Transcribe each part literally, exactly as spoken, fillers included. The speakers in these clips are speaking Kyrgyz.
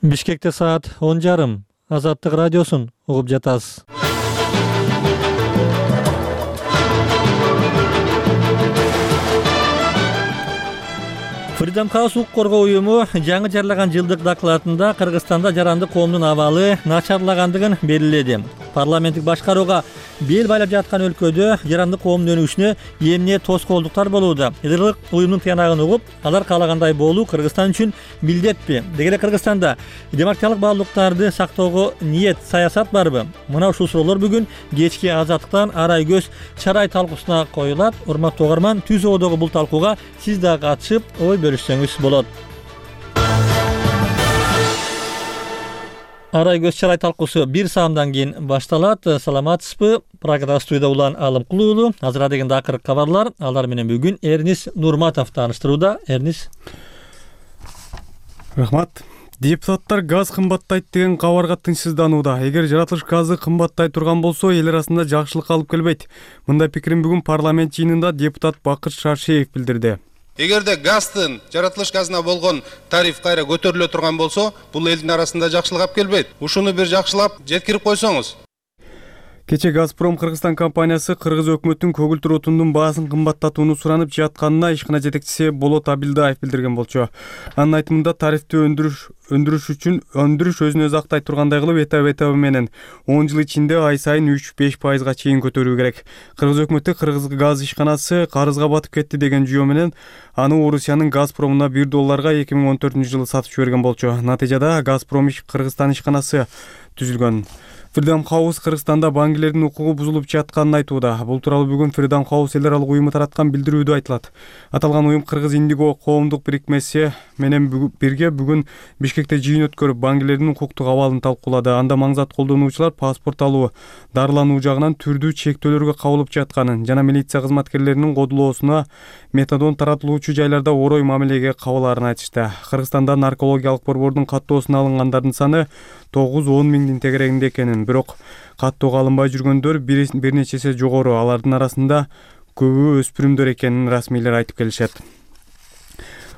Бишкекте саат он жарым. Азаттык радиосун угуп жатасыз. Freedom House укук коргоо уюму жаңы жарлаган жылдык докладында Кыргызстанда жарандык коомдун абалы начарлагандыгын белгиледи. Парламенттик башкарууга бел байлап жаткан өлкөдө жарандык коомдун өнүгүшүнө эмне тоскоолдуктар болууда? Идырлык уюмдун тыянагын угуп, алар каалагандай болуу Кыргызстан үчүн милдетпи? Деги эле Кыргызстанда демократиялык баалуулуктарды сактоого ниет, саясат барбы? Мына ушул суроолор бүгүн кечки Азаттыктан Арай көз чарай талкуусуна коюлат. Урматтуу угарман, түз оодогу бул талкууга сиз да катышып, ой бөлүшсөңүз болот. Арай көз чарай талкуусу бир саамдан кийин башталат. Саламатсызбы? Прагада студияда Улан Алымкулуу уулу. Азыр дегенде акыркы кабарлар. Алар менен бүгүн Эрнис Нурматов тааныштырууда. Эрнис. Рахмат. Депутаттар газ кымбаттайт деген кабарга тынчсызданууда. Эгер жаратылыш газы кымбаттай турган болсо, эл арасында жакшылык алып келбейт. Мындай пикирин бүгүн парламент жыйынында депутат Бакыт Шаршеев билдирди. Эгерде газдын жаратылыш газына болгон тариф кайра көтөрүлө турган болсо, бул элдин арасында жакшылык алып келбейт. Ушуну бир жакшылап жеткирип койсоңуз. Кече Газпром Кыргызстан компаниясы Кыргыз өкмөтүнүн көгүлтүр отундун баасын кымбаттатууну суранып жатканына ишкана жетекчиси Болот Абилдаев билдирген болчу. Анын айтымында тарифти өндүрүш өндүрүш үчүн өндүрүш өзүн өзү актай тургандай кылып этап-этабы менен он жыл ичинде ай сайын үч беш пайызга чейин көтөрүү керек. Кыргыз өкмөтү Кыргыз газ ишканасы карызга батып кетти деген жүйө менен аны Орусиянын Газпромуна бир долларга эки миң он төртүнчү жылы сатып жиберген болчу. Натыйжада Газпром Кыргызстан ишканасы түзүлгөн. Freedom House Кыргызстанда баңгилердин укугу бузулуп жатканын айтууда. Бул тууралуу бүгүн Freedom House эл аралык уюму тараткан билдирүүдө айтылат. Аталган уюм Кыргыз Индиго коомдук бирикмеси менен бирге бүгүн Бишкекте жыйын өткөрүп, баңгилердин укуктук абалын талкуулады. Анда маңзат колдонуучулар паспорт алуу, дарылануу жагынан түрдүү чектөөлөргө кабылып жатканын жана милиция кызматкерлеринин кодулоосуна метадон таратылуучу жайларда орой мамилеге кабылаарын айтышты. Кыргызстанда наркологиялык борбордун каттоосуна алынгандардын саны тогуз он миңдин тегерегинде экенин, бирок каттоого алынбай жүргөндөр бир нече эсе жогору. Алардын арасында көбү өспүрүмдөр экенин расмийлер айтып келишет.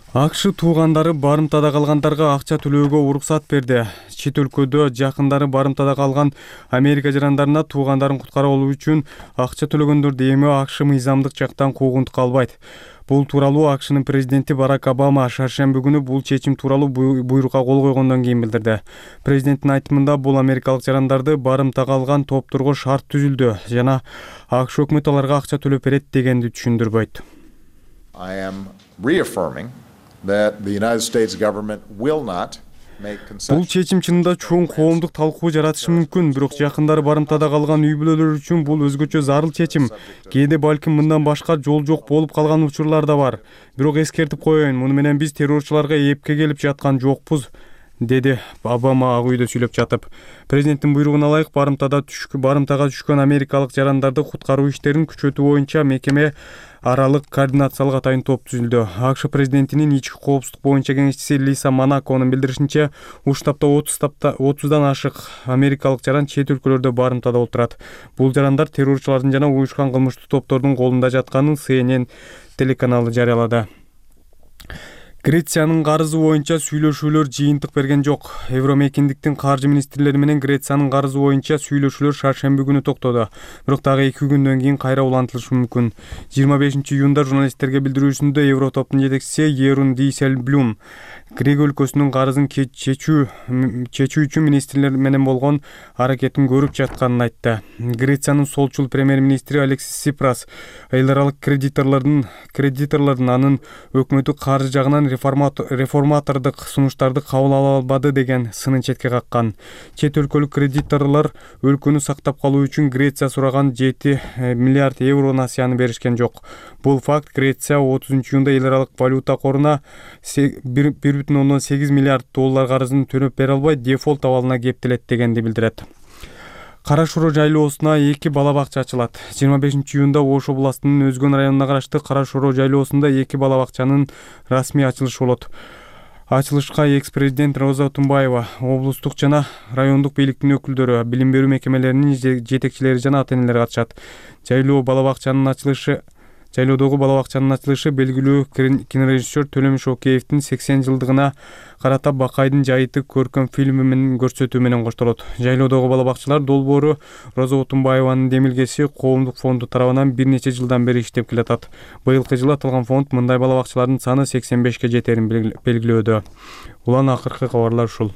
АКШ туугандары барымтада калгандарга акча төлөөгө уруксат берди. Чет өлкөдө жакындары барымтада калган Америка жарандарына туугандарын куткарып алуу үчүн акча төлөгөндөрдү эми АКШ мыйзамдык жактан куугунтукка албайт. Бул тууралуу АКШнын президенти Барак Обама шаршемби күнү бул чечим тууралуу буйрукка кол койгондон кийин билдирди. Президенттин айтымында бул америкалык жарандарды барымта калган топторго шарт түзүлдү жана АКШ өкмөтү аларга акча төлөп берет дегенди түшүндүрбөйт. I am reaffirming that the United States government will not Бул чечим чынында чоң коомдук талкуу жаратышы мүмкүн, бирок жакындары барымтада калган үй бүлөлөр үчүн бул өзгөчө зарыл чечим. Кээде балким мындан башка жол жок болуп калган учурлар да бар. Бирок эскертип коеюн, муну менен биз террорчуларга эпке келип жаткан жокпуз, деди Обама ак үйдө сүйлөп жатып. Президенттин буйругуна ылайык барымтада түшкөн барымтага түшкөн америкалык жарандарды куткаруу иштерин күчөтүү боюнча мекеме аралык координациялык атайын топ түзүлдү. АКШ президентинин ички коопсуздук боюнча кеңешчиси Лиса Монаконун билдиришинче, уштапта отуздан ашык америкалык жаран чет өлкөлөрдө барымтада отурат. Бул жарандар террорчулардын жана уюшкан кылмыштуу топтордун колунда жатканын Си Эн Эн телеканалы жарыялады. Грециянын карызы боюнча сүйлөшүүлөр жыйынтык берген жок. Евромекиндиктин каржы министрлери менен Грециянын карызы боюнча сүйлөшүүлөр шаршемби күнү токтоду. Бирок дагы эки күндөн кийин кайра улантылышы мүмкүн. жыйырма бешинчи июнда журналисттерге билдирүүсүндө Евротоптун жетекчиси Ерун Дейселблюм Грек өлкөсүнүн карызын чечүү чечүү үчүн министрлер менен болгон аракетин көрүп жатканын айтты. Грециянын солчул премьер-министри Алексис Сипрас эл аралык кредиторлордун кредиторлордун анын өкмөтү каржы жагынан реформатордук сунуштарды кабыл ала албады деген сынын четке каккан. Чет өлкөлүк кредиторлор өлкөнү сактап калуу үчүн Греция сураган жети миллиард евро насыяны беришкен жок. Бул факт Греция отузунчу июнда эл аралык валюта коруна бир бүтүн ондон сегиз миллиард доллар карызын төлөп бере албай дефолт абалына кептелет дегенди билдирет. Кара Шоро жайлоосуна эки бала бакча ачылат. жыйырма бешинчи июнда Ош областынын Өзгөн районуна караштуу Кара Шоро жайлоосунда эки бала бакчанын расмий ачылышы болот. Ачылышка экс-президент Роза Тумбаева, облустук жана райондук бийликтин өкүлдөрү, билим берүү мекемелеринин жетекчилери жана ата-энелер катышат. Жайлоо бала бакчанын ачылышы Жайлоодогу бала бакчанын ачылышы белгилүү кинорежиссер Төлөмүш Океевдин сексен жылдыгына карата Бакайдын жайыты көркөм фильми менен көрсөтүү менен коштолот. Жайлоодогу бала бакчалар долбоору Роза Отунбаеванын демилгеси коомдук фонду тарабынан бир нече жылдан бери иштеп келатат. Быйылкы жылы аталган фонд мындай бала бакчалардын саны сексен бешке жетерин белгилөөдө. Улан акыркы кабарлар ушул.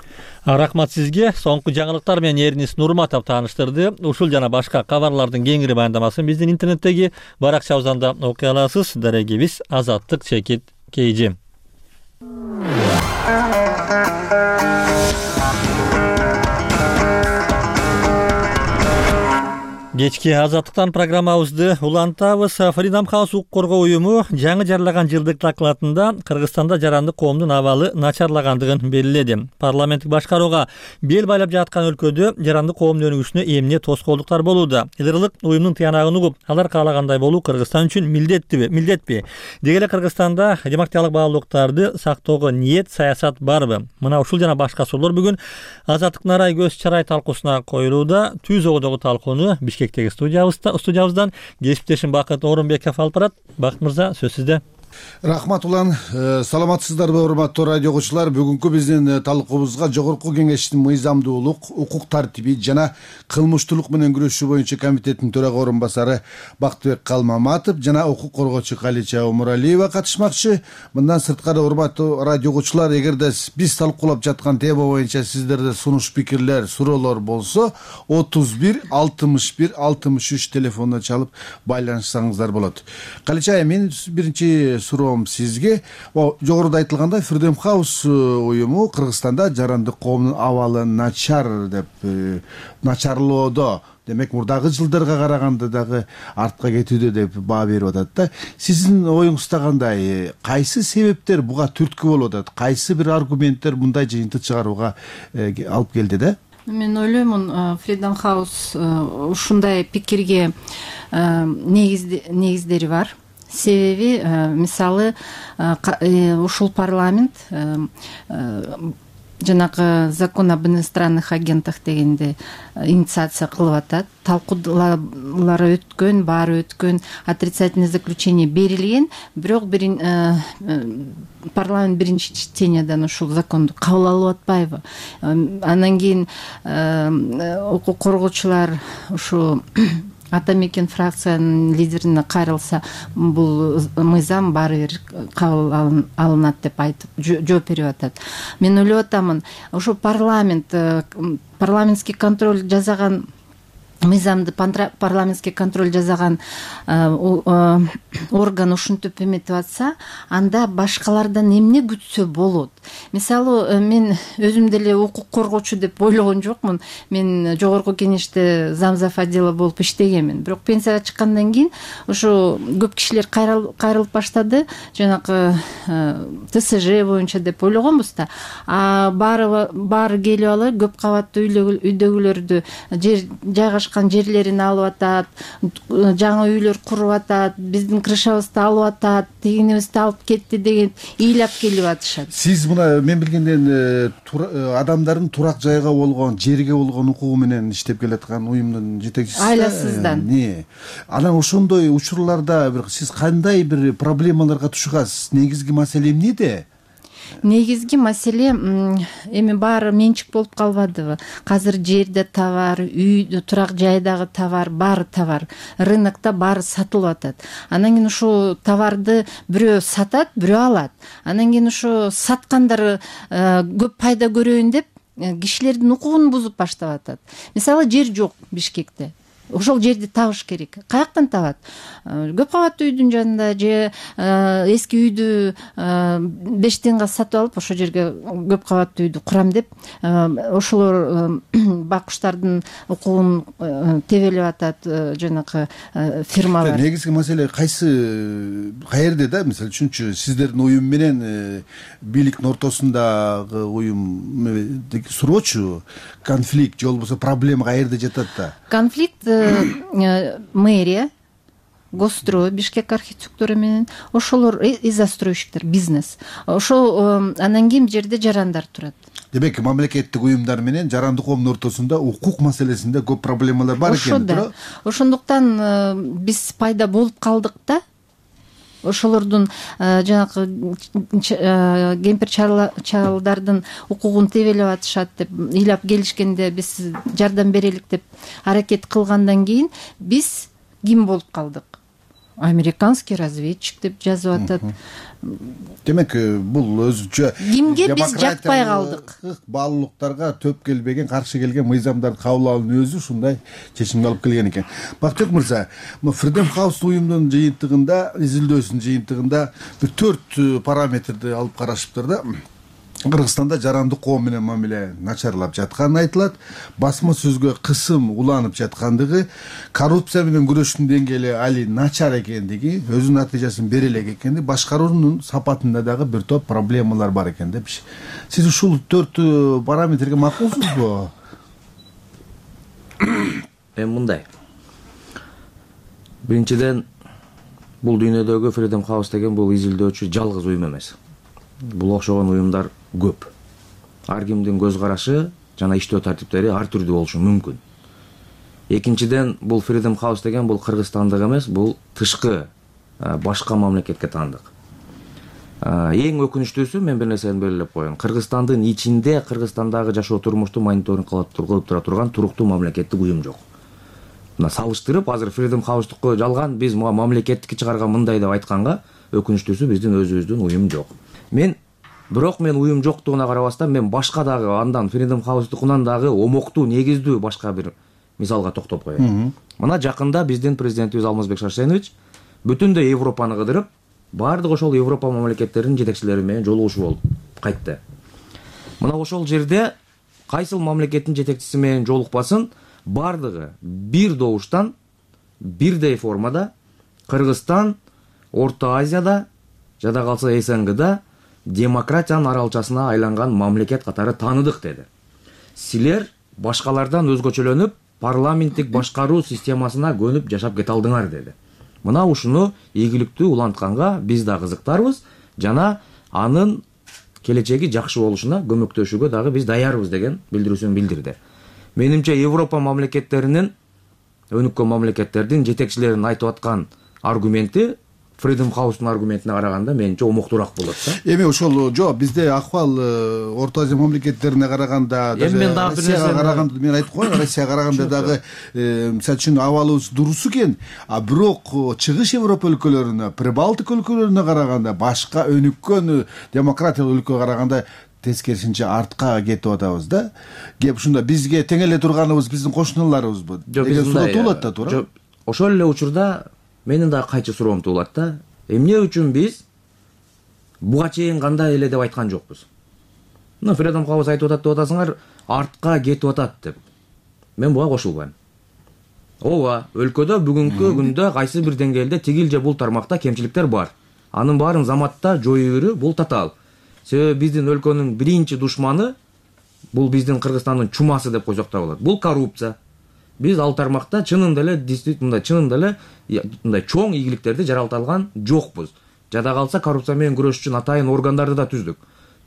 Рахмат сизге. Соңку жаңылыктар менен Эрнис Нурматов тааныштырды. Ушул жана башка кабарлардын кеңири баяндамасын биздин интернеттеги баракчабыздан да окуй аласыз. Дарегибиз Азаттык чекит Кейжи. Кечки Азаттыктан программабызды улантабыз. Freedom House укук коргоо уюму жаңы жарылаган жылдык докладында Кыргызстанда жаранды коомдун абалы начарлагандыгын белгиледи. Парламенттик башкарууга бел байлап жаткан өлкөдө жаранды коомдун өнүгүшүнө эмне тоскоолдуктар болууда? Илгырлык уюмдун тыянагын угуп, алар каалагандай болуу Кыргызстан үчүн милдеттиби, милдетпи? Деги эле Кыргызстанда демократиялык баалуулуктарды сактоого ниет, саясат барбы? Мына ушул жана башка суроолор бүгүн Азаттыктын арай көз чарай талкуусуна коюлууда. Түз огодогу талкууну Бишкектеги студиябызда студиябыздан кесиптешим Бакыт Орунбеков алып барат. Бакыт мырза, сөз сизде. Рахмат улан. Саламатсыздарбы, урматтуу радио окуучулар? Бүгүнкү биздин талкуубузга Жогорку Кеңештин мыйзамдуулук, укук тартиби жана кылмыштуулук менен күрөшүү боюнча комитеттин төрага орун басары Бактыбек Калмаматов жана укук коргоочу Калича Омуралиева катышмакчы. Мындан сырткары, урматтуу радио окуучулар, эгерде биз талкуулап жаткан тема боюнча сиздерде сунуш пикирлер, суроолор болсо, отуз бир алтымыш бир алтымыш үч телефонуна чалып байланышсаңыздар болот. Калича, мен биринчи суроом сизге. Жогоруда айтылгандай, Freedom House уюму Кыргызстанда жарандык коомдун абалы начар деп начарлоодо, демек мурдагы жылдарга караганда дагы артка кетүүдө деп баа берип атат да. Сиздин оюңузда кандай? Кайсы себептер буга түрткү болуп атат? Кайсы бир аргументтер мындай жыйынтык чыгарууга алып келди да? Мен ойлоймун, Freedom House ушундай пикирге негиздери бар. Себеби, мисалы, ушул парламент жанагы закон об иностранных агентах дегенде инициация кылып атат. Талкуулары өткөн, баары өткөн, отрицательный заключение берилген, бирок бир парламент биринчи чтениядан ушул законду кабыл алып атпайбы. Андан кийин укук коргоочулар ушу Ата Мекен фракциянын лидерине кайрылса, бул мыйзам баары бир кабыл алынат деп айтып жооп берип атат. Мен ойлоп атамын, ошо парламент парламентский контроль жасаган мыйзамды парламентский контроль жасаган орган ушинтип эметип атса, анда башкалардан эмне күтсө болот? Мисалы, мен өзүм деле укук коргоочу деп ойлогон жокмун. Мен Жогорку Кеңеште замзав отдела болуп иштегенмин. Бирок пенсияга чыккандан кийин ошо көп кишилер кайрылып баштады, жанагы ТСЖ боюнча деп ойлогонбуз да. А баары баары келип алып, көп кабаттуу үйдөгүлөрдү жайгашкан жерлерин алып атат, жаңы үйлөр куруп атат, биздин крышабызды алып атат, тигинибизди алып кетти деген ыйлап келип атышат. Сиз мына мен билгенден адамдардын турак жайга болгон, жерге болгон укугу менен иштеп келаткан уюмдун жетекчиси. Айласыздан. Не. Анан ошондой учурларда бир сиз кандай бир проблемаларга тушугасыз? Негизги маселе эмнеде? Негизги маселе эми баары менчик болуп калбадыбы? Азыр жерде товар, үйдө, турак жайдагы товар, баары товар, рынокто баары сатылып атат. Анан кийин ушу товарды бирөө сатат, бирөө алат. Анан кийин ушу саткандар көп пайда көрөйүн деп кишилердин укугун бузуп баштап атат. Мисалы, жер жок Бишкекте. Ошол жерди табыш керек. Каяктан табат? Көп кабаттуу үйдүн жанында же эски үйдү беш тыйынга сатып алып, ошол жерге көп кабаттуу үйдү курам деп, ошолор баккучтардын укугун тебелеп атат жанагы фирмалар. Негизги маселе кайсы каерде да? Мисалы үчүнчү, сиздердин уюм менен бийликтин ортосундагы уюм суроочу конфликт же болбосо проблема каерде жатат да? Конфликт мэрия, Госстрой, Бишкек архитектура менен, ошолор и застройщиктер, бизнес. Ошол анан кийин жерде жарандар турат. Демек, мамлекеттик уюмдар менен жарандык коомдун ортосунда укук маселесинде көп проблемалар бар экен. Ошондо. Ошондуктан биз пайда болуп калдык да. ошолордун жанагы кемпир чалдардын укугун тебелеп атышат деп ыйлап келишкенде биз жардам берелик деп аракет кылгандан кийин биз ким болуп калдык? Американский разведчик деп жазып атат. Демек бул өзүнчө кимге биз жакпай калдык? Баалуулуктарга төп келбеген, каршы келген мыйзамдарды кабыл алуунун өзү ушундай чечимге алып келген экен. Бактыбек мырза, Freedom House уюмдун жыйынтыгында, изилдөөсүнүн жыйынтыгында бир төрт параметрди алып карашыптыр да. Кыргызстанда жарандык коом менен мамиле начарлап жатканы айтылат, басма сөзгө кысым уланып жаткандыгы, коррупция менен күрөштүн деңгээли али начар экендиги, өзүнүн натыйжасын бере элек экендиги, башкаруунун сапатында дагы бир топ проблемалар бар экен деп. Сиз ушул төрт параметрге макулсузбу? Эми мындай. Биринчиден, бул дүйнөдөгү Freedom House деген бул изилдөөчү жалгыз уюм эмес. Бул окшогон уюмдар көп. Ар кимдин көз карашы жана иштөө тартиптери ар түрдүү болушу мүмкүн. Экинчиден, бул Freedom House деген бул Кыргызстандык эмес, бул тышкы башка мамлекетке таандык. Эң өкүнүчтүүсү, мен бир нерсени белгилеп коеюн. Кыргызстандын ичинде Кыргызстандагы жашоо турмушту мониторинг кылып тура турган туруктуу мамлекеттик уюм жок. Мына салыштырып, азыр Freedom House'тукку жалган биз мага мамлекеттикке чыгарган мындай деп айтканга, өкүнүчтүүсү биздин өзүбүздүн уюм жок. Мен бирок мен уюм жоктугуна карабастан мен башка дагы андан Freedom House'тукунан дагы омоктуу, негиздүү башка бир мисалга токтоп коеюн. Мына жакында биздин президентибиз Алмазбек Шарсенович бүтүндөй Европаны кыдырып, баардык ошол Европа мамлекеттеринин жетекчилери менен жолугушуу болуп кайтты. Мына ошол жерде кайсыл мамлекеттин жетекчиси менен жолукпасын, баардыгы бир добуштан, бирдей формада Кыргызстан Орто Азияда, жада калса эс эн гда демократиянын аралчасына айланган мамлекет катары тааныдык деди. Силер башкалардан өзгөчөлөнүп, парламенттик башкаруу системасына көнүп жашап кете алдыңар деди. Мына ушуну ийгиликтүү улантканга биз да кызыктарбыз жана анын келечеги жакшы болушуна көмөктөшүүгө дагы биз даярбыз деген билдирүүсүн билдирди. Менимче Европа мамлекеттеринин, өнүккөн мамлекеттердин жетекчилеринин айтып аткан аргументи Freedom House'тун аргументине караганда менимче омоктуураак болот да. Эми ошол жок, бизде акыбал Орто Азия мамлекеттерине караганда, Россияга караганда, мен айтып коеюн, Россияга караганда дагы мисалы үчүн абалыбыз дурус экен, а бирок чыгыш Европа өлкөлөрүнө, Прибалтика өлкөлөрүнө караганда, башка өнүккөн демократиялык өлкөгө караганда тескерисинче артка кетип атабыз да. Кеп ушунда бизге тең эле турганыбыз биздин кошуналарыбызбы деген суроо туулат да, туура? Ошол эле учурда менин дагы кайчы суроом туулат да. Эмне үчүн биз буга чейин кандай эле деп айткан жокпуз? Мына Freedom House айтып атат деп атасыңар, артка кетип атат деп. Мен буга кошулбайм. Ооба, өлкөдө бүгүнкү күндө кайсы бир деңгээлде тигил же бул тармакта кемчиликтер бар. Анын баарын заматта жоюу бул татаал. Себеби биздин өлкөнүн биринчи душманы бул биздин Кыргызстандын чумасы деп койсок да болот. Бул коррупция. Биз ал тармакта чынында эле действительно чынында эле мындай чоң ийгиликтерди жаралта алган жокпуз. Жада калса коррупция менен күрөш үчүн атайын органдарды да түздүк.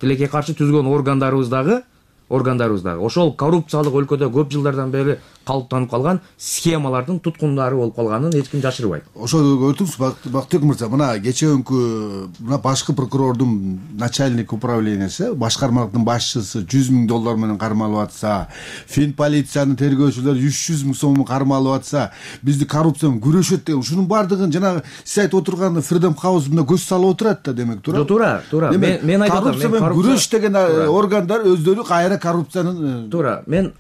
Тилекке каршы түзгөн органдарыбыз дагы органдарыбыз дагы ошол коррупциялык өлкөдө көп жылдардан бери калыптанып калган схемалардын туткундары болуп калганын эч ким жашырбайт. Ошол көрдүңүз, Бактыбек мырза, мына кечээкүнкү мына башкы прокурордун начальник управлениясы, башкармалыктын башчысы жүз миң доллар менен кармалып атса, Фин полициянын тергөөчүлөрү үч жүз миң сом кармалып атса, бизди коррупция менен күрөшөт деген, ушунун баардыгын жанагы сиз айтып отурган Freedom House мына көз салып отурат да, демек, туура? Туура, туура. Мен айтып атам, коррупция менен күрөш деген органдар өздөрү кайра коррупциянын туура. Мен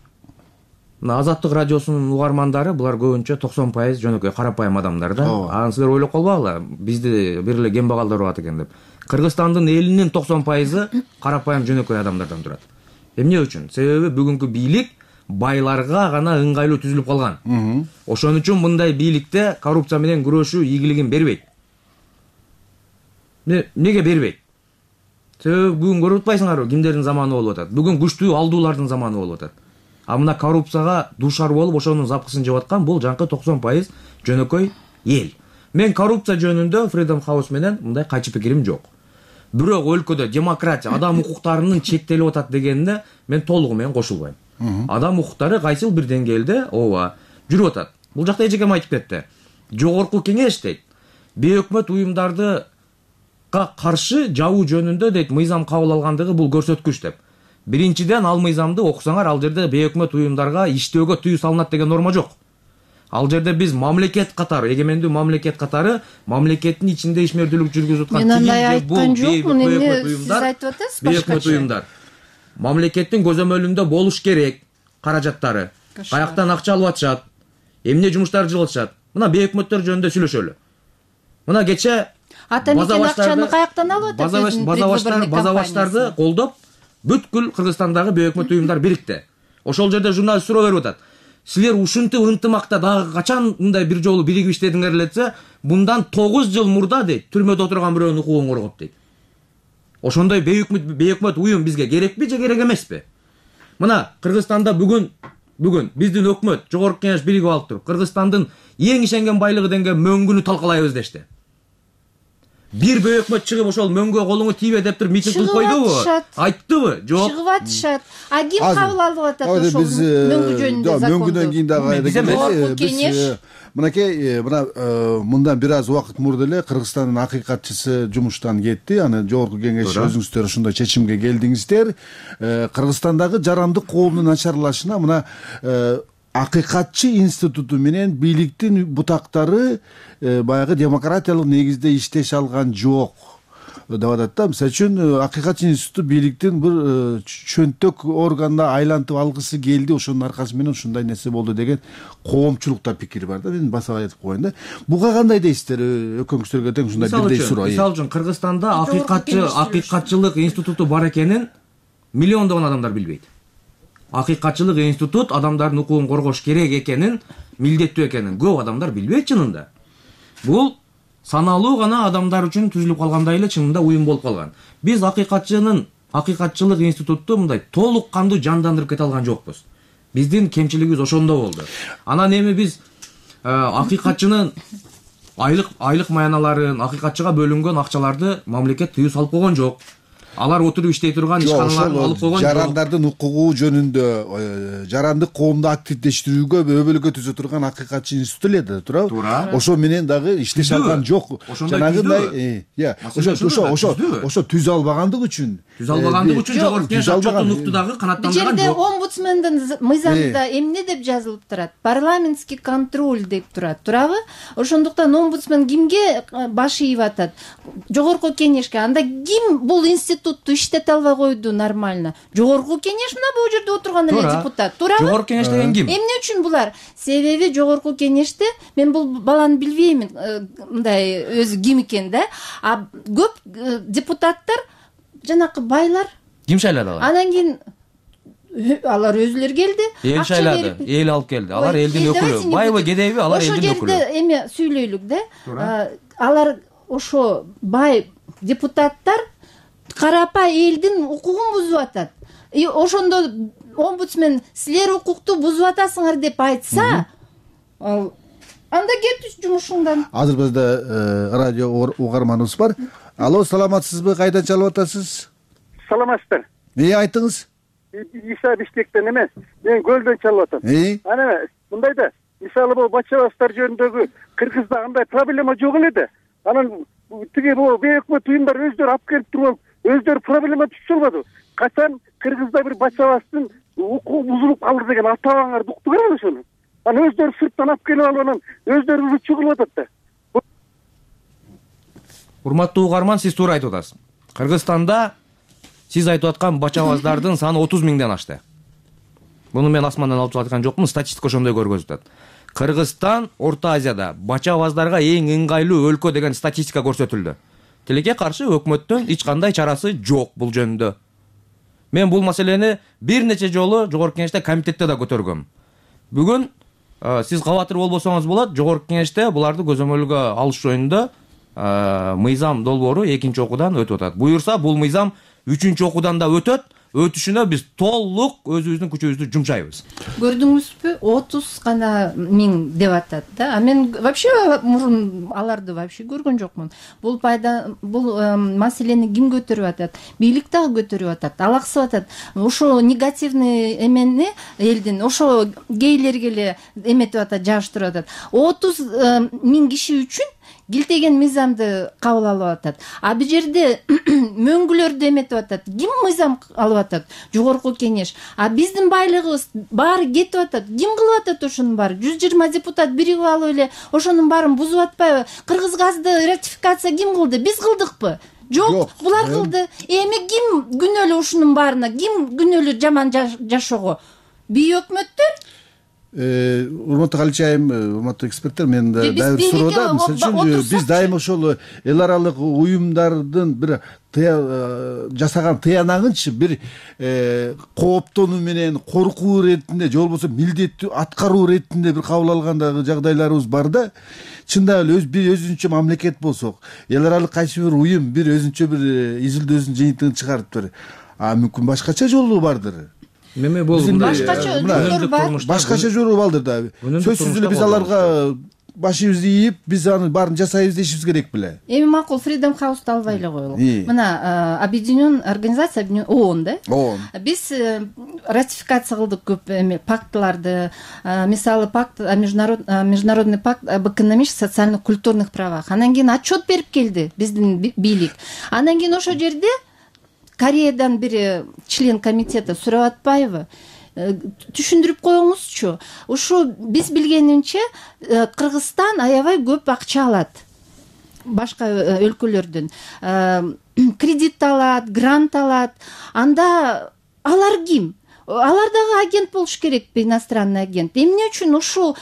Азаттык радиосунун угармандары булар көбүнчө токсон пайыз жөнөкөй карапайым адамдар да. Аны силер ойлоп калбагыла, бизди бир эле кембагалдар урат экен деп. Кыргызстандын элинин токсон пайызы карапайым жөнөкөй адамдардан турат. Эмне үчүн? Себеби бүгүнкү бийлик байларга гана ыңгайлуу түзүлүп калган. Ошон үчүн мындай бийликте коррупция менен күрөшүү ийгилигин бербейт. Неге бербейт? Себеби бүгүн көрүп атпайсыңарбы, кимдердин заманы болуп атат? Бүгүн күчтүү алдуулардын заманы болуп атат. А мына коррупцияга дуушар болуп ошонун запкысын жеп аткан бул жанкы токсон пайыз жөнөкөй эл. Мен коррупция жөнүндө Freedom House менен мындай кайчы пикирим жок. Бирок өлкөдө демократия, адам укуктарынын чектелип атат дегенде мен толугу менен кошулбайм. Адам укуктары кайсыл бир деңгээлде ооба жүрүп атат. Бул жакта эч ким айтып кетти. Жогорку кеңеш дейт. бейөкмөт уюмдарды каршы жабуу жөнүндө дейт мыйзам кабыл алгандыгы бул көрсөткүч деп. Биринчиден ал мыйзамды окусаңар, ал жерде бейөкмөт уюмдарга иштөөгө тыюу салынат деген норма жок. Ал жерде биз мамлекет катары, эгемендүү мамлекет катары мамлекеттин ичинде ишмердүүлүк жүргүзүп аткан мен андай айткан жокмун, эмне сиз айтып атасыз башкача. Бейөкмөт уюмдар мамлекеттин көзөмөлүндө болуш керек каражаттары. Каяктан акча алып атышат, эмне жумуштар жылып атышат. Мына бейөкмөттөр жөнүндө сүйлөшөлү. Мына кече атамекен акчаны каяктан алып атат? База база баштарды колдоп бүткүл Кыргызстандагы бейөкмөт уюмдар бирикти. Ошол жерде журналист суроо берип атат. Силер ушинтип ынтымакта дагы качан мындай бир жолу биригип иштедиңер эле десе, мындан тогуз жыл мурда дейт, түрмөдө отурган бирөөнүн укугун коргоп дейт. Ошондой бейөкмөт бейөкмөт уюм бизге керекпи же керек эмеспи? Мына Кыргызстанда бүгүн бүгүн биздин өкмөт, жогорку кеңеш биригип алып туруп, Кыргызстандын эң ишенген байлыгы деген мөңгүнү талкалайбыз дешти. Бир бейөкмөт чыгып ошол мөңгүгө колуңу тийбе деп туруп митинг кылып койдубу? Айттыбы? Жок. Чыгып атышат. А ким кабыл алып атат ошол мөңгү жөнүндө законду? Мөңгүдөн кийин дагы биз мынакей мына мындан бир аз убакыт мурда эле Кыргызстандын акыйкатчысы жумуштан кетти. Аны жогорку кеңеш өзүңүздөр ошондой чечимге келдиңиздер. Кыргызстандагы жарандык коомдун начарлашына мына акыйкатчы институту менен бийликтин бутактары баягы демократиялык негизде иштеше алган жок деп атат да. Мисалы үчүн акыйкатчы институту бийликтин бир чөнтөк органына айлантып алгысы келди, ошонун аркасы менен ушундай нерсе болду деген коомчулукта пикир бар да. Мен басып айтып коеюн да. Буга кандай дейсиздер? Өкмөңүздөргө тең ушундай бирдей суроо. Мисалы үчүн Кыргызстанда акыйкатчы акыйкатчылык институту бар экенин миллиондогон адамдар билбейт. Акыйкатчылык институт адамдардын укугун коргош керек экенин, милдеттүү экенин көп адамдар билбейт чынында. Бул саналуу гана адамдар үчүн түзүлүп калгандай эле чынында уюм болуп калган. Биз акыйкатчынын акыйкатчылык институтту мындай толук кандуу жандандырып кете алган жокпуз. Биздин кемчилигибиз ошондо болду. Анан эми биз акыйкатчынын айлык айлык маяналарын, акыйкатчыга бөлүнгөн акчаларды мамлекет тыюу салып койгон жок. Алар отуруп иштей турган ишканаларын алып койгон жок. Жарандардын укугу жөнүндө, жарандык коомду активдештирүүгө өбөлгө түзө турган акыйкатчы институт эле да, туурабы? Ошо менен дагы иштеше алган жок. Жанагындай, ошо ошо ошо ошо түзө албагандык үчүн. Түзө албагандык үчүн жогорку кеңеш акчатын укту дагы канаттандырган жок. Бул жерде омбудсмендин мыйзамында эмне деп жазылып турат? Парламентский контроль деп турат, туурабы? Ошондуктан омбудсмен кимге баш ийип атат? Жогорку кеңешке. Анда ким бул институт иштете албай койду нормально? Жогорку кеңеш мына бул жерде отурган эле депутат, туурабы? Жогорку кеңеш деген ким? Эмне үчүн булар? Себеби жогорку кеңеште мен бул баланы билбеймин, мындай өзү ким экен да. А көп депутаттар жанакы байлар. Ким шайлады алар? Анан кийин алар өзүлөр келди. Эл шайлады, эл алып келди. Алар элдин өкүлү. Байбы, кедейби, алар элдин өкүлү. Ошол жерде эме сүйлөйлүк да. Алар ошо бай депутаттар карапа элдин укугун бузуп атат. И ошондо омбудсмен силер укукту бузуп атасыңар деп айтса, анда кет жумушуңдан. Азыр бизде радио угарманыбыз бар. Алло, саламатсызбы? Кайдан чалып атасыз? Саламатсыздар. Эмне айтыңыз? Иса Бишкектен эмес, мен Көлдөн чалып атам. Ана мындай да, мисалы бул бача бастар жөнүндөгү Кыргызда андай проблема жок эле да. Анан тиги бул бейөкмөт уюмдар өздөрү алып келип туруп, өздөрү проблема түшүп албады. Качан Кыргызда бир бача бастын укугу бузулуп калды деген ата бабаңарды уктуңар ошону. Анан өздөрү сырттан алып келип алып анан өздөрү уручу кылып атат да. Урматтуу угарман, сиз туура айтып атасыз. Кыргызстанда сиз айтып аткан бачабаздардын саны отуз миңден ашты. Муну мен асмандан алып чыгып аткан жокмун, статистика ошондой көрсөтөт атат. Кыргызстан Орто Азияда бачабаздарга эң ыңгайлуу өлкө деген статистика көрсөтүлдү. Тилекке каршы өкмөттүн эч кандай чарасы жок бул жөнүндө. Мен бул маселени бир нече жолу жогорку кеңеште, комитетте да көтөргөм. Бүгүн сиз кабатыр болбосоңуз болот, жогорку кеңеште буларды көзөмөлгө алыш жөнүндө мыйзам долбоору экинчи окуудан өтүп атат. Буюрса бул мыйзам үчүнчү окуудан да өтөт. Өтүшүнө биз толук өзүбүздүн күчүбүздү жумшайбыз. Көрдүңүзбү? отуз гана миң деп атат да. А мен вообще мурун аларды вообще көргөн жокмун. Бул пайда бул маселени ким көтөрүп атат? Бийлик дагы көтөрүп атат, алаксып атат. Ошо негативный эмени элдин, ошо гейлерге эле эметип атат, жабыштырып атат. отуз миң киши үчүн килтеген мыйзамды кабыл алып атат. А бул жерде мөңгүлөрдү эметип атат. Ким мыйзам алып атат? Жогорку кеңеш. А биздин байлыгыбыз баары кетип атат. Ким кылып атат ошонун баары? жүз жыйырма депутат биригип алып эле ошонун баарын бузуп атпайбы? Кыргыз газды ратификация ким кылды? Биз кылдыкпы? Жок, булар кылды. Эми ким күнөөлүү ушунун баарына? Ким күнөөлүү жаман жашоого? Бий өкмөттөр? Урматтуу Калич айым, урматтуу эксперттер, мен дайыр суроода, мисалы үчүн биз дайыма ошол эл аралык уюмдардын бир жасаган тыянагынчы бир кооптонуу менен коркуу иретинде же болбосо милдеттүү аткаруу иретинде бир кабыл алгандагы жагдайларыбыз бар да. Чындап эле өз бир өзүнчө мамлекет болсок, эл аралык кайсы бир уюм бир өзүнчө бир изилдөөсүн жыйынтыгын чыгарыптыр. А мүмкүн башкача жолу бардыр. Меме бул башкача жолдор бар. Башкача жолу балдыр да. Сөзсүз эле биз аларга башыбызды ийип, биз анын баарын жасайбыз дешибиз керек беле. Эми макул Freedom House'ду албай эле коелук. Мына объединен организация ООН да. Биз ратификация кылдык көп эме пактларды. Мисалы пакт международный пакт об экономических, социальных, культурных правах. Анан кийин отчет берип келди биздин бийлик. Анан кийин ошол жерде Кореядан бир член комитета сурап атпайбы? Түшүндүрүп коюңузчу. Ушу биз билгенимче Кыргызстан аябай көп акча алат башка өлкөлөрдөн. Кредит алат, грант алат. Анда алар ким? Алар дагы агент болуш керекпи, иностранный агент? Эмне үчүн ушул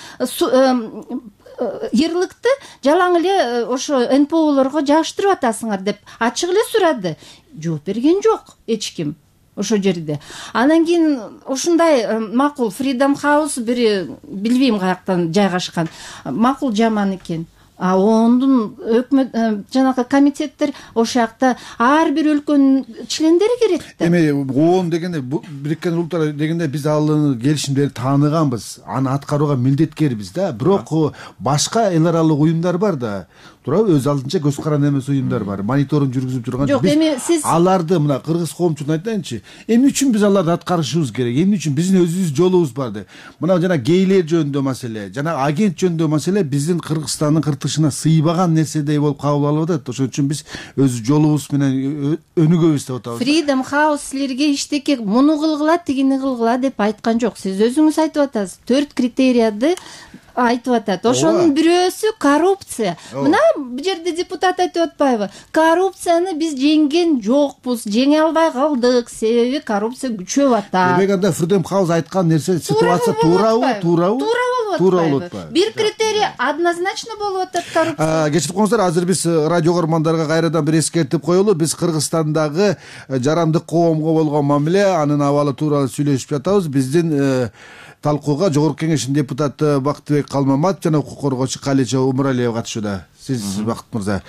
ярлыкты жалаң эле ошо эн пэ олорго жаштырып атасыңар деп ачык эле сурады. Жооп берген жок эч ким ошол жерде. Анан кийин ушундай макул Freedom House бир билбейм каяктан жайгашкан. Макул жаман экен. А ондун өкмөт жанагы комитеттер ошол жакта ар бир өлкөнүн члендери кирет да. Эми ООН дегенде, Бириккен Улуттар дегенде биз ал келишимдерди тааныганбыз, аны аткарууга милдеткербиз да. Бирок башка эл аралык уюмдар бар да. Туурабы, өз алдынча көз каранды эмес уюмдар бар. Мониторинг жүргүзүп турган. Жок, эми сиз аларды мына кыргыз коомчулугуна айтайынчы. Эмне үчүн биз аларды аткарышыбыз керек? Эмне үчүн биздин өзүбүз жолубуз бар деп. Мына жана гейлер жөнүндө маселе, жана агент жөнүндө маселе биздин Кыргызстандын кыртышына сыйбаган нерседей болуп кабыл алып атат. Ошон үчүн биз өз жолубуз менен өнүгөбүз деп атабыз. Freedom House силерге иштеке муну кылгыла, тигини кылгыла деп айткан жок. Сиз өзүңүз айтып атасыз. төрт критерияды айтып атат. Ошонун бирөөсү коррупция. Мына бул жерде депутат айтып атпайбы? Коррупцияны биз жеңген жокпуз, жеңе албай калдык, себеби коррупция күчөп атат. Демек анда Freedom House айткан нерсе ситуация туурабы? Туурабы? Туура болуп атпайбы? Бир критерий однозначно болуп атат коррупция. Кечирип коюңуздар, азыр биз радио көрөрмандарга кайрадан бир эскертип коелу. Биз Кыргызстандагы жарандык коомго болгон мамиле, анын абалы тууралуу сүйлөшүп жатабыз. Биздин талкууга Жогорку Кеңештин депутаты Бактыбек Калмаматов жана укук коргоочу Калича Умуралиева катышууда. Сиз, Бакыт мырза,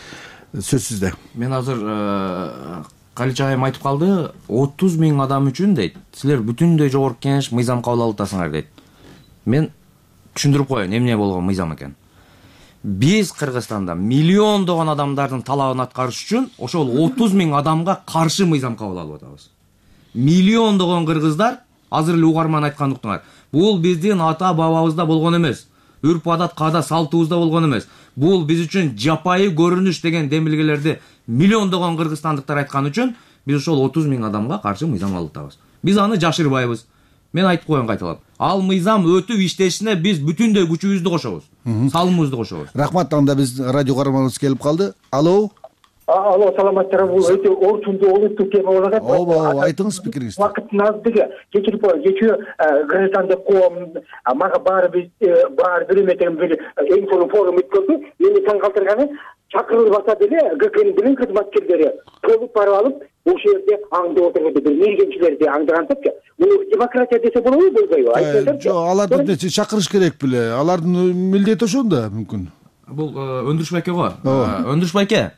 сөз сизде. Мен азыр Калича айым айтып калды, отуз миң адам үчүн дейт, силер бүтүндөй Жогорку Кеңеш мыйзам кабыл алып атасыңар дейт. Мен түшүндүрүп коеюн, эмне болгон мыйзам экен. Биз Кыргызстанда миллиондогон адамдардын талабын аткарыш үчүн ошол отуз миң адамга каршы мыйзам кабыл алып атабыз. Миллиондогон кыргыздар азыр эле угарман айткандыктар. Бул биздин ата бабабызда болгон эмес. Үрп адат каада салтыбызда болгон эмес. Бул биз үчүн жапайы көрүнүш деген демилгелерди миллиондогон кыргызстандыктар айткан үчүн биз ошол отуз миң адамга каршы мыйзам алып атабыз. Биз аны жашырбайбыз. Мен айтып коеюн кайталап. Ал мыйзам өтүп иштешине биз бүтүндөй күчүбүздү кошобуз. Салымыбызды кошобуз. Рахмат, анда биз радио каарманыбыз келип калды. Алло. Алло, саламатсыздарбы? Бул өтө орчундуу олуттуу тема болуп атат. Ооба, айтыңыз пикириңизди. Вакыттын аздыгы, кечирип коеюн, кечээ кыргызстандык коом мага баары биз баары бир эметен бир эң сонун форум өткөздү. Мени таң калтырганы, чакырылып атат эле ГКНин билим кызматкерлери толуп барып алып, ошол жерде аңдып отурду, бир мергенчилерди аңдыгантыпчы. Бул демократия десе болобу, болбойбу? Айтыңыздарчы. Жок, аларды чакырыш керек беле. Алардын милдети ошондо мүмкүн. Бул Өндүрүш байке го. Өндүрүш байке,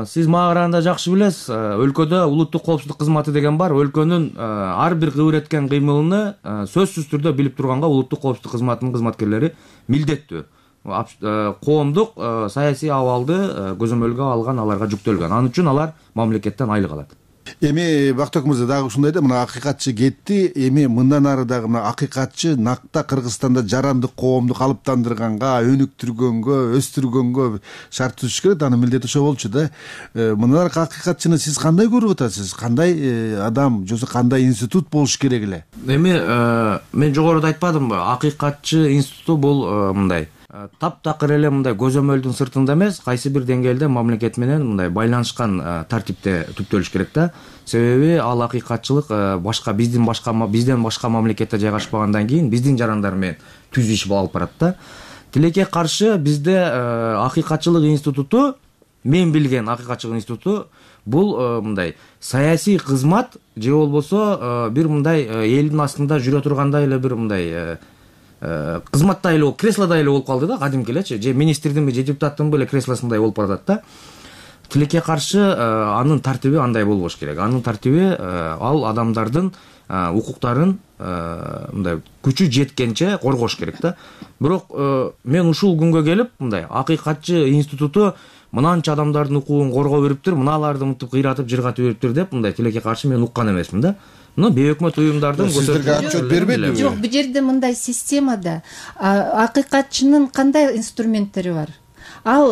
сиз мага караганда жакшы билесиз, өлкөдө улуттук коопсуздук кызматы деген бар. Өлкөнүн ар бир кыбыр эткен кыймылын сөзсүз түрдө билип турганга улуттук коопсуздук кызматынын кызматкерлери милдеттүү. Коомдук саясий абалды көзөмөлгө алган, аларга жүктөлгөн. Ал үчүн алар мамлекеттен айлык алат. Эми Бактыбек мырза дагы ушундай да, мына акыйкатчы кетти, эми мындан ары дагы мына акыйкатчы накта Кыргызстанда жарандык коомду калыптандырганга, өнүктүргөнгө, өстүргөнгө шарт түзүш керек, анын милдети ошо болчу да. Мындан ары акыйкатчыны сиз кандай көрүп атасыз? Кандай адам же кандай институт болуш керек эле? Эми мен жогоруда айтпадымбы, акыйкатчы институту бул мындай таптакыр эле мындай көзөмөлдүн сыртында эмес, кайсы бир деңгээлде мамлекет менен мындай байланышкан тартипте түптөлүш керек да. Себеби ал акыйкатчылык башка биздин башка бизден башка мамлекетте жайгашпагандан кийин биздин жарандар менен түз иш алып барат да. Тилекке каршы бизде акыйкатчылык институту, мен билген акыйкатчылык институту бул мындай саясий кызмат же болбосо бир мындай элдин астында жүрө тургандай эле бир мындай кызматта эле болуп, креслода эле болуп калды да, кадимки элечи, же министрдинби же депутаттын эле креслосундай болуп баратат да. Тилекке каршы анын тартиби андай болбош керек. Анын тартиби ал адамдардын укуктарын мындай күчү жеткенче коргош керек да. Бирок мен ушул күнгө келип мындай акыйкатчы институту мынанча адамдардын укугун коргоо бериптир, мыналарды мынтип кыйратып жыргатып бериптир деп мындай тилекке каршы мен уккан эмесмин да. Ну, бейөкмөт уюмдардын сиздерге отчет бербедиби? Жок, бул жерде мындай системада акыйкатчынын кандай инструменттери бар? Ал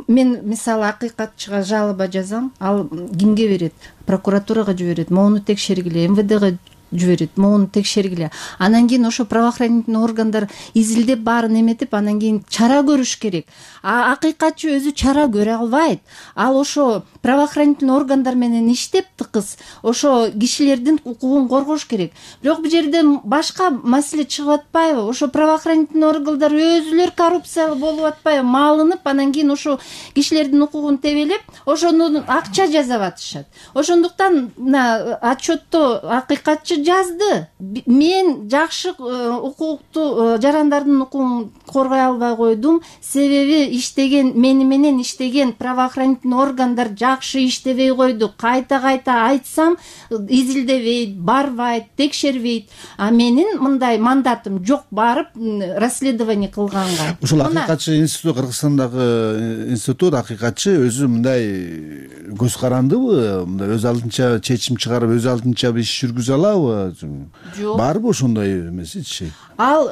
мен мисалы акыйкатчыга жалоба жазам, ал кимге берет? Прокуратурага жиберет, могуну текшергиле, эм вэ дëга жиберет, могуну текшергиле. Анан кийин ошо правоохранительный органдар изилдеп баарын эметип, анан кийин чара көрүш керек. А акыйкатчы өзү чара көрө албайт. Ал ошо правоохранительный органдар менен иштеп тыкыз, ошо кишилердин укугун коргош керек. Бирок бул жерде башка маселе чыгып атпайбы? Ошо правоохранительный органдар өзүлөр коррупциялы болуп атпайбы? Малынып, анан кийин ошо кишилердин укугун тебелеп, ошону акча жасап атышат. Ошондуктан мына отчетто акыйкатчы жазды. Мен жакшы укукту, жарандардын укугун коргой албай койдум. Себеби иштеген, мени менен иштеген правоохранительный органдар жакшы иштебей койду. Кайта-кайта айтсам, изилдебейт, барбайт, текшербейт. А менин мындай мандатым жок, барып расследование кылганга. Ушул акыйкатчы институт, Кыргызстандагы институт акыйкатчы өзү мындай көз карандыбы? Мындай өз алдынча чечим чыгарып, өз алдынча иш жүргүзө алабы? Жок. Барбы ошондой эмесичи? Ал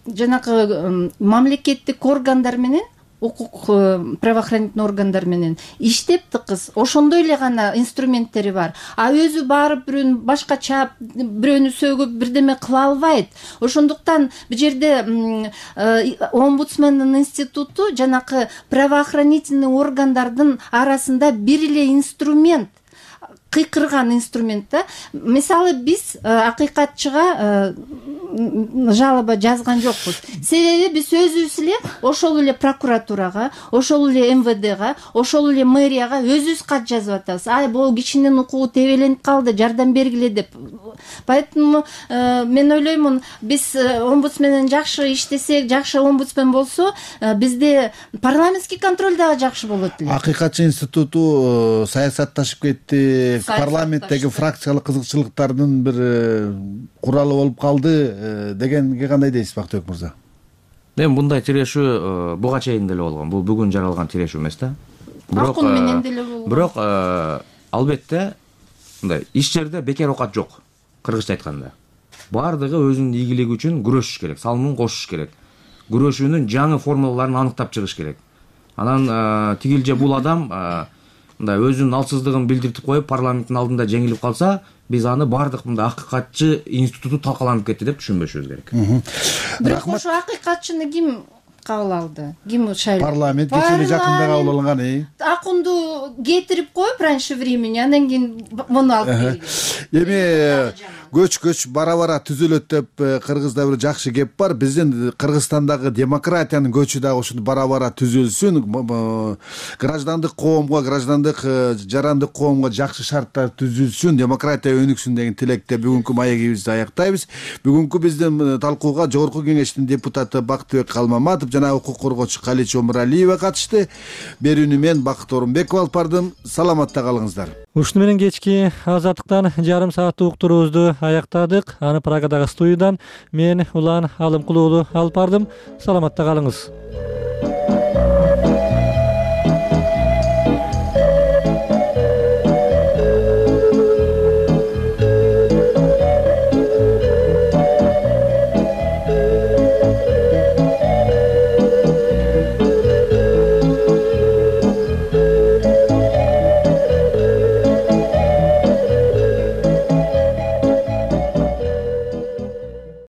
жанагы мамлекеттик органдар менен, укук правоохранительный органдар менен иштеп тыкыз, ошондой эле гана инструменттери бар. А өзү барып бирөөнү башка чаап, бирөөнү сөгүп бирдеме кыла албайт. Ошондуктан бул жерде омбудсмендин институту жанакы правоохранительный органдардын арасында бир эле инструмент, кыйкырган инструмент да. Мисалы биз акыйкатчыга жалоба жазган жокпуз. Себеби биз өзүбүз эле ошол эле прокуратурага, ошол эле эм вэ дэга, ошол эле мэрияга өзүбүз кат жазып атабыз. Ай, бул кишинин укугу тебеленип калды, жардам бергиле деп. Поэтому мен ойлоймун, биз омбудсмен менен жакшы иштесек, жакшы омбудсмен болсо, бизде парламентский контроль дагы жакшы болот эле. Акыйкатчы институту саясатташып кетти. Парламенттеги фракциялык кызыкчылыктардын бир куралы болуп калды дегенге кандай дейсиз, Бактыбек мырза? Эми мындай тирешүү буга чейин деле болгон. Бул бүгүн жаралган тирешүү эмес да. Бирок менен деле болгон. Бирок албетте мындай иш жерде бекер оокат жок. Кыргызча айтканда, баардыгы өзүнүн ийгилиги үчүн күрөшүш керек, салымын кошуш керек. Күрөшүүнүн жаңы формулаларын аныктап чыгыш керек. Анан тигил же бул адам мындай өзүнүн алсыздыгын билдиртип коюп, парламенттин алдында жеңилип калса, биз аны баардык мындай акыйкатчы институту талкаланып кетти деп түшүнбөшүбүз керек. Бирок ошо акыйкатчыны ким кабыл алды? Ким шайлап? Парламент кечээ жакында кабыл алган. Акунду кетирип коюп раньше времени, анан кийин муну алып келген. Эми көч көч бара-бара түзүлөт деп Кыргызда бир жакшы кеп бар. Биздин Кыргызстандагы демократиянын көчү дагы ушундай бара-бара түзүлсүн. Граждандык коомго, граждандык жарандык коомго жакшы шарттар түзүлсүн, демократия өнүксүн деген тилекте бүгүнкү маегибизди аяктайбыз. Бүгүнкү биздин талкууга Жогорку Кеңештин депутаты Бактыбек Калмаматов жана укук коргоочу Калич Омуралиева катышты. Берүүнү мен Бакыт Орунбеков алып бардым. Саламатта калыңыздар. Ушуну менен кечки азаттыктан жарым сааттык уктуруубузду аяктадык. Аны Прагадагы студиядан мен Улан Алымкулуу алып бардым. Саламатта калыңыз.